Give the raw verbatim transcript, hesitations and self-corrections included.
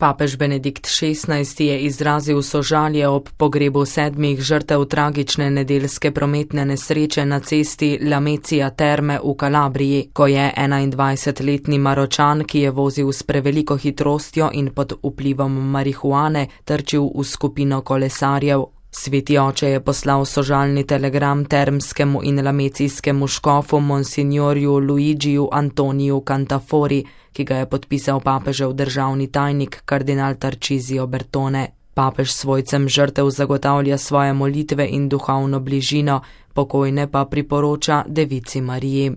Papež Benedikt šestnajsti je izrazil sožalje ob pogrebu sedmih žrtev tragične nedeljske prometne nesreče na cesti Lamezia Terme v Kalabriji, ko je enaindvajsetletni Maročan, ki je vozil s preveliko hitrostjo in pod vplivom marihuane, trčil v skupino kolesarjev. Sveti oče je poslal sožalni telegram termskemu in lamecijskemu škofu monsignorju Luigiju Antoniju Cantafori, ki ga je podpisal papežev državni tajnik kardinal Tarcisio Bertone. Papež svojcem žrtev zagotavlja svoje molitve in duhovno bližino, pokojne pa priporoča Devici Mariji.